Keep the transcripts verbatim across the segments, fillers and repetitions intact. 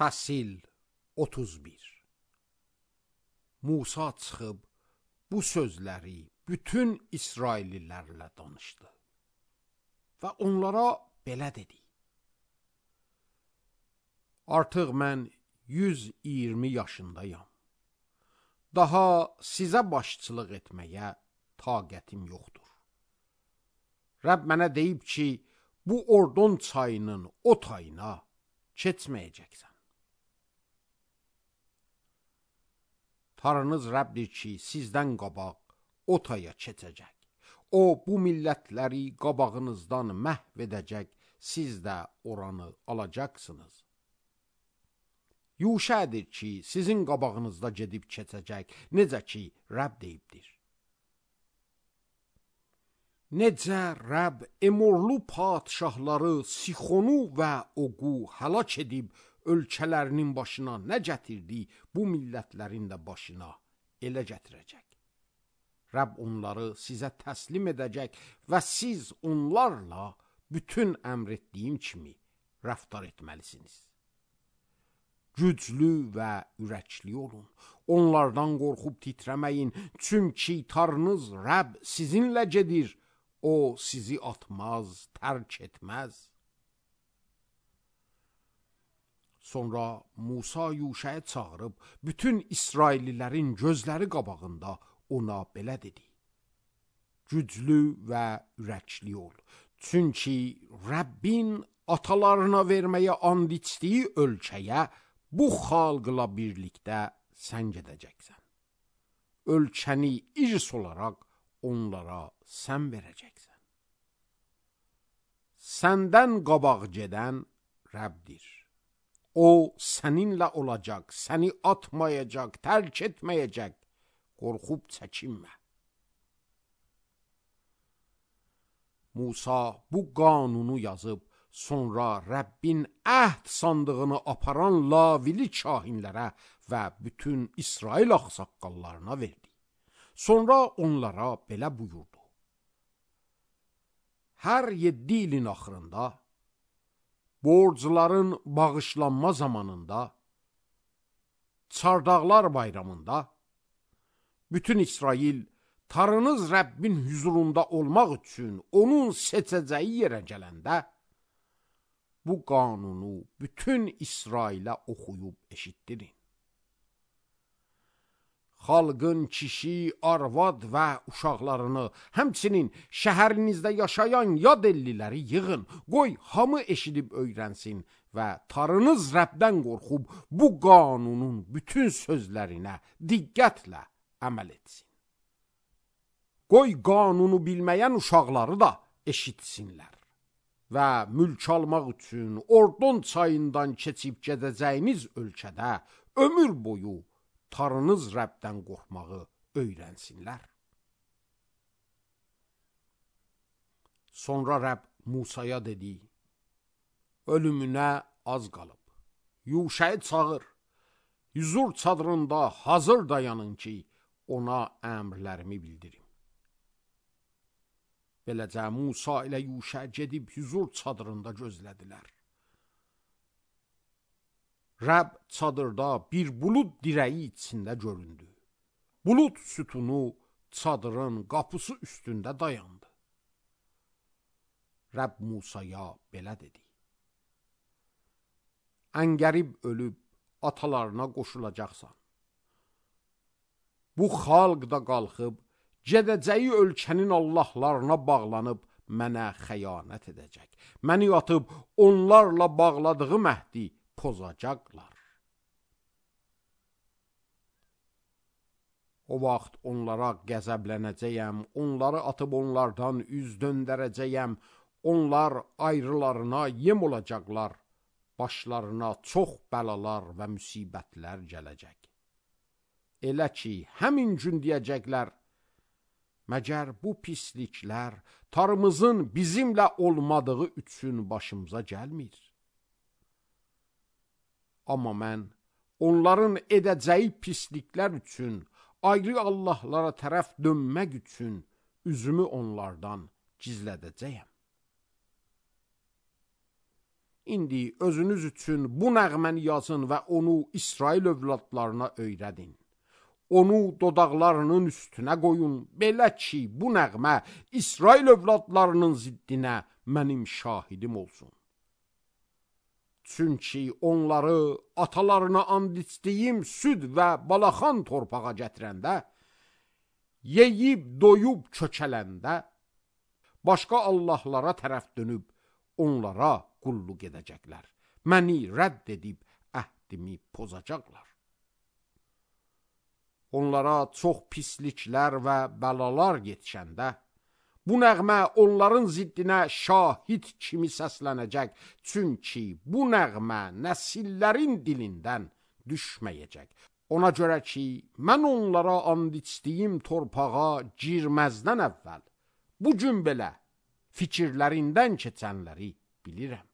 Fəsil otuz bir. Musa çıxıb bu sözləri bütün İsraillilərlə danışdı və onlara belə dedi: Artıq mən yüz iyirmi yaşındayam. Daha sizə başçılıq etməyə taqətim yoxdur. Rəbb mənə deyib ki, bu Ordon çayının o tayına keçməyəcəksən. Tanrınız Rəbbdir ki, sizdən qabaq o taya keçəcək. O, bu millətləri qabağınızdan məhv edəcək, siz də oranı alacaqsınız. Yuşədir ki, sizin qabağınızda gedib keçəcək, necə ki, Rəbb deyibdir. Necə Rəbb Emorlu padşahları Sixonu və Oqu həlak edib, ölkələrinin başına nə gətirdi, bu millətlərin də başına elə gətirəcək. Rəbb onları sizə təslim edəcək və siz onlarla bütün əmr etdiyim kimi rəftar etməlisiniz. Güclü və ürəkli olun, onlardan qorxub titrəməyin, çünki Tanrınız Rəbb sizinlə gedir, o sizi atmaz, tərk etməz. Sonra Musa Yuşəyə çağırıb, bütün İsraillilərin gözləri qabağında ona belə dedi: Güclü və ürəkli ol, çünki Rəbbin atalarına verməyə and içdiyi ölkəyə bu xalqla birlikdə sən gedəcəksən. Ölkəni irs olaraq onlara sən verəcəksən. Səndən qabaq gedən Rəbbdir. O səninlə olacaq, səni atmayacaq, tərk etməyəcək, qorxub çəkinmə. Musa bu qanunu yazıb, sonra Rəbbin əhd sandığını aparan lavili kahinlərə və bütün İsrail ağsaqqallarına verdi. Sonra onlara belə buyurdu: Hər yeddi ilin axırında, borcların bağışlanma zamanında, Çardaqlar bayramında, bütün İsrail Tanrınız Rəbbin huzurunda olmaq üçün onun seçəcəyi yerə gələndə, bu qanunu bütün İsrailə oxuyub eşitdirin. Xalqın kişi, arvad və uşaqlarını, həmçinin şəhərinizdə yaşayan yad elliləri yığın, qoy hamı eşidib öyrənsin və Tanrınız Rəbdən qorxub bu qanunun bütün sözlərinə diqqətlə əməl etsin. Qoy qanunu bilməyən uşaqları da eşitsinlər və mülk almaq üçün Ordon çayından keçib gedəcəyiniz ölkədə ömür boyu Tanrınız Rəbdən qorxmağı öyrənsinlər. Sonra Rəbb Musaya dedi: Ölümünə az qalıb. Yuşəyi çağır, hüzur çadırında hazır dayanın ki, ona əmrlərimi bildirim. Beləcə Musa ilə Yuşə gedib hüzur çadırında gözlədilər. Rəbb çadırda bir bulud dirəyi içində göründü. Bulud sütunu çadırın qapısı üstündə dayandı. Rəbb Musaya belə dedi: Əngərib ölüb atalarına qoşulacaqsan. Bu xalq da qalxıb, gedəcəyi ölkənin allahlarına bağlanıb mənə xəyanət edəcək. Məni atıb onlarla bağladığı məhdi pozacaqlar. O vaxt onlara qəzəblənəcəyəm, onları atıb onlardan üz döndərəcəyəm, onlar ayrılarına yem olacaqlar, başlarına çox bəlalar və müsibətlər gələcək. Elə ki, həmin gün deyəcəklər: Məgər bu pisliklər Tanrımızın bizimlə olmadığı üçün başımıza gəlmir? Amma mən onların edəcəyi pisliklər üçün, ayrı allahlara tərəf dönmək üçün üzümü onlardan gizlədəcəyəm. İndi özünüz üçün bu nəğməni yazın və onu İsrail övladlarına öyrədin. Onu dodaqlarının üstünə qoyun, belə ki, bu nəğmə İsrail övladlarının ziddinə mənim şahidim olsun. Çünki onları atalarına and içdiyim süd və balaxan torpağa gətirəndə, yeyib doyub çökələndə, başqa Allahlara tərəf dönüb onlara qulluq edəcəklər. Məni rədd edib əhdimi pozacaqlar. Onlara çox pisliklər və bəlalar yetişəndə, bu nəğmə onların ziddinə şahid kimi səslənəcək. Çünki bu nəğmə nəsillərin dilindən düşməyəcək. Ona görə ki, mən onlara and içdiyim torpağa girməzdən əvvəl, bu gün belə fikirlərindən keçənləri bilirəm.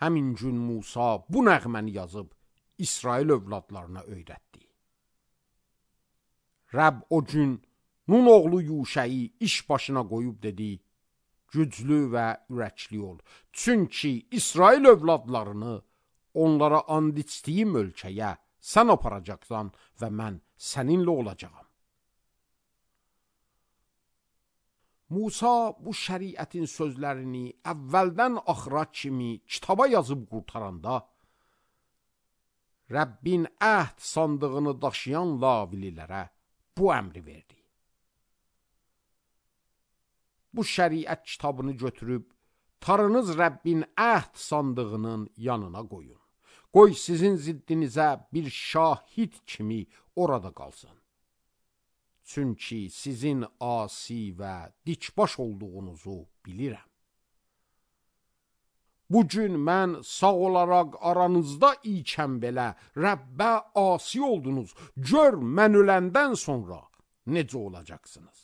Həmin gün Musa bu nəğməni yazıb İsrail övladlarına öyrətdi. Rəbb o gün Nun oğlu Yuşəyi iş başına qoyub dedi, güclü və ürəkli ol. Çünki İsrail övladlarını onlara and içdiyim ölkəyə sən aparacaqsan və mən səninlə olacağam. Musa bu şəriətin sözlərini əvvəldən axıra kimi kitaba yazıb qurtaranda, Rəbbin əhd sandığını daşıyan lavililərə bu əmri verdi. Bu şəriət kitabını götürüb, tarınız Rəbbin əhd sandığının yanına qoyun. Qoy sizin ziddinizə bir şahid kimi orada qalsın. Çünki sizin asi və dikbaş olduğunuzu bilirəm. Bugün mən sağ olaraq aranızda ikən belə Rəbbə asi oldunuz. Gör mən öləndən sonra necə olacaqsınız.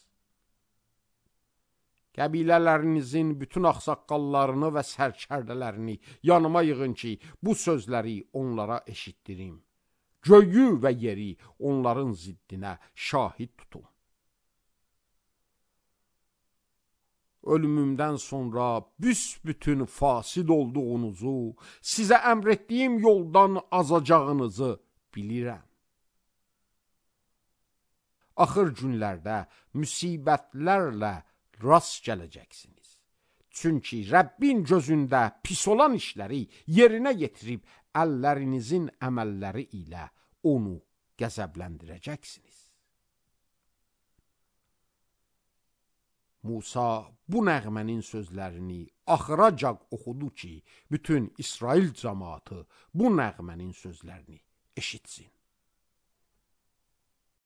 Qəbilələrinizin bütün ağsaqqallarını və sərkərdələrini yanıma yığın ki, bu sözləri onlara eşitdirim. Göyü və yeri onların ziddinə şahid tutum. Ölümümdən sonra büsbütün fasid olduğunuzu, sizə əmr etdiyim yoldan azacağınızı bilirəm. Axır günlərdə müsibətlərlə rast gələcəksiniz. Çünki Rəbbin gözündə pis olan işləri yerinə yetirib əllərinizin əməlləri ilə onu qəzəbləndirəcəksiniz. Musa bu nəğmənin sözlərini axıracaq oxudu ki, bütün İsrail cəmaatı bu nəğmənin sözlərini eşitsin.